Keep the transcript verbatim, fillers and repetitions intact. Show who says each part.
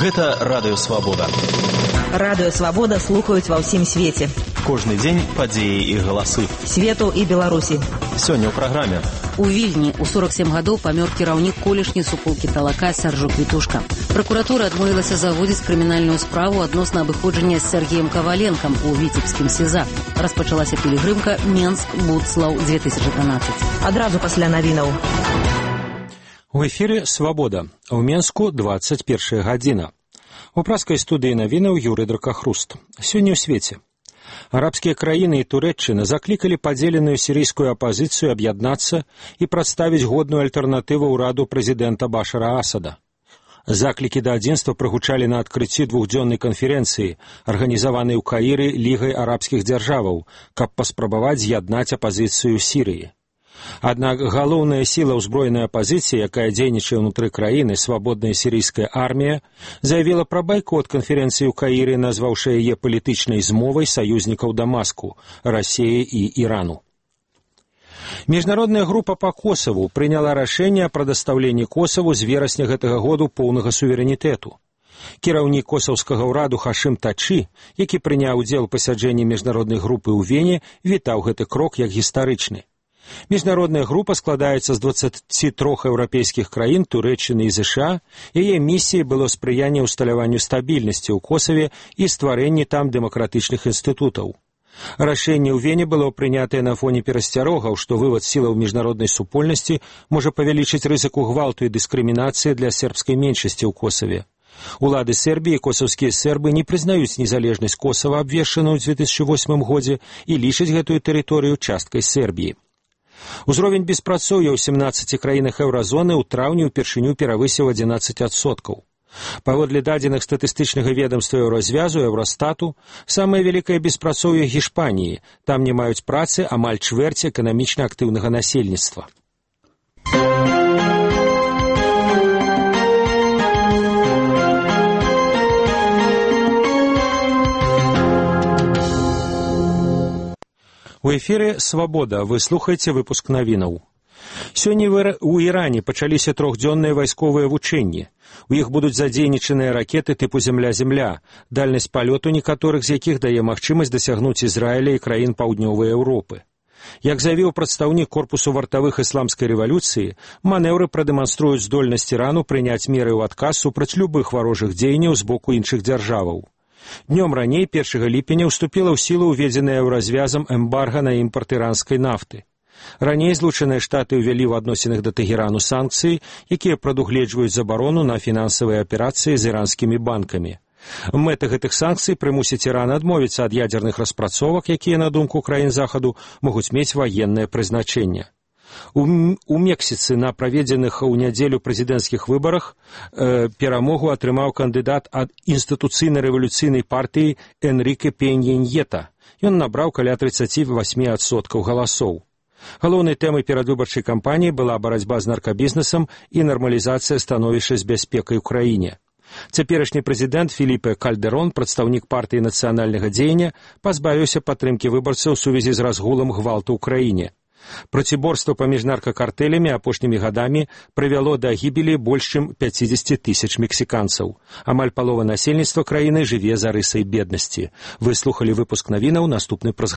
Speaker 1: Гэта Радыё Свабода.
Speaker 2: Радыё Свабода слухаюць ва ўсім свеце.
Speaker 1: Кожны дзень падзеі і галасы.
Speaker 2: Свету і Беларусі.
Speaker 1: Сёння ў праграме.
Speaker 3: У Вільні ў сорок сем гадоў памёр кіраўнік колішняй суполкі Талака Сяржук Вітушка. Пракуратура адмовілася заводзіць крымінальную справу адносна абыходжання з Сергеем Каваленкам у віцебскім СІЗА. Распачалася пілігрымка Менск-Будслаў две тысячы трынаццаць.
Speaker 2: Адразу пасля навінаў.
Speaker 4: У эфіры «Свабода». У Менску двадцать первая гадзіна. У праскай студыі навінаў Юрый Дракахруст. Сёння ў свеце. Арабскія краіны і Турэччына заклікалі падзеленую сірыйскую апазіцыю аб'яднацца і прадставіць годную альтэрнатыву ўраду прэзідэнта Башара Асада. Заклікі да адзінства прагучалі на адкрыцці двухдзённай канферэнцыі, арганізаванай у Каіры Лігай арабскіх дзяржаваў, каб паспрабаваць з'яднаць апазіцыю Сірыі. Аднак галоўная сіла ўзброенай апазіцыі, якая дзейнічае ўнутры краіны, свабодная сірыйская армія, заявіла пра байкот канферэнцыі ў Каіры, назваўшы яе палітычнай змовай саюзнікаў Дамаску, Расіі і Ірану. Міжнародная група па Косаву прыняла рашэнне о прадастаўленні Косаву з верасня гэтага году поўнага суверэнітэту. Кіраўнік косаўскага ўраду Хашым Тачы, які прыняў удзел у пасяджэнні міжнароднай групы ў Вене, вітаў гэты крок як гістарычны. Міжнародная група складаецца з дваццаці трох еўрапейскіх краін, Турэччыны і ЗША. Яе місіяй было спрыянне ўсталяванню стабільнасці ў Косаве і стварэнні там дэмакратычных інстытутаў. Рашэнне ў Вене было прынятае на фоне перасцярогаў, што вывад сілаў міжнароднай супольнасці можа павялічыць рызыку гвалту і дыскрымінацыі для сербскай меншасці ў Косаве. Улады Сербіі і косаўскія сербы не прызнаюць незалежнасць Косава, абвешчаную ў дзве тысячы восьмым годзе, і лічаць гэтую тэрыторыю часткай Сербіі. Узровень беспрацоўя ў сямнаццаці краінах еўразоны ў траўні ўпершыню перавысіў адзінаццаць адсоткаў. Паводле дадзеных статыстычнага ведамства Еўразвязу, Еўрастату, самае вялікае беспрацоўе Гішпаніі. Там не маюць працы амаль чвэрць эканамічна актыўнага насельніцтва. У эфіры «Свабода». Вы слухаеце выпуск навінаў. Сёння ў Іране пачаліся трохдзённыя вайсковыя вучэнні. У іх будуць задзейнічаныя ракеты тыпу «Зямля-Зямля», дальнасць палёту некаторых з якіх дае магчымасць дасягнуць Ізраіля і краін паўднёвай Еўропы. Як заявіў прадстаўнік корпусу вартавых ісламскай рэвалюцыі, манеўры прадэманструюць здольнасць Ірану прыняць меры ў адказ супраць любых варожых дзеянняў з боку іншых дзяржаваў. Днём раней, першага ліпеня, уступіла ў сілу ўведзеная еўразвязам эмбарга на імпарт іранскай нафты. Раней Злучаныя Штаты ўвялі ў адносінах да Тэхерану санкцыі, якія прадугледжваюць забарону на фінансавыя аперацыі з іранскімі банкамі. Мэта гэтых санкцый прымусіць Іран адмовіцца ад ядзерных распрацовак, якія, на думку краін Захаду, могуць мець ваеннае прызначэнне. У, у Мексіцы на праведзеных у нядзелю прэзідэнцкіх выбарах э, перамогу атрымаў кандыдат ад інстытуцыйна-рэвалюцыйнай партыі Энріке Пенья-Ньета. Ён набраў каля трыццаці васьмі адсоткаў галасоў. Галоўнай тэмай перадвыбарчай кампаніі была барацьба з наркабізнесам і нармалізацыя становішча з бяспекай у краіне. Цяперашні прэзідэнт Філіпе Кальдэрон, прадстаўнік партыі нацыянальнага дзеяння, пазбавіўся падтрымкі выбарцаў у сувязі з разгулам гвалту ў краіне. Проціборства паміж наркакартэлямі апошнімі гадамі прывяло да гібелі больш чым пяцідзесяці тысяч мексіканцаў. Амаль палова насельніцтва краіны жыве за рысай беднасці. Вы слухалі выпуск навінаў, наступны праз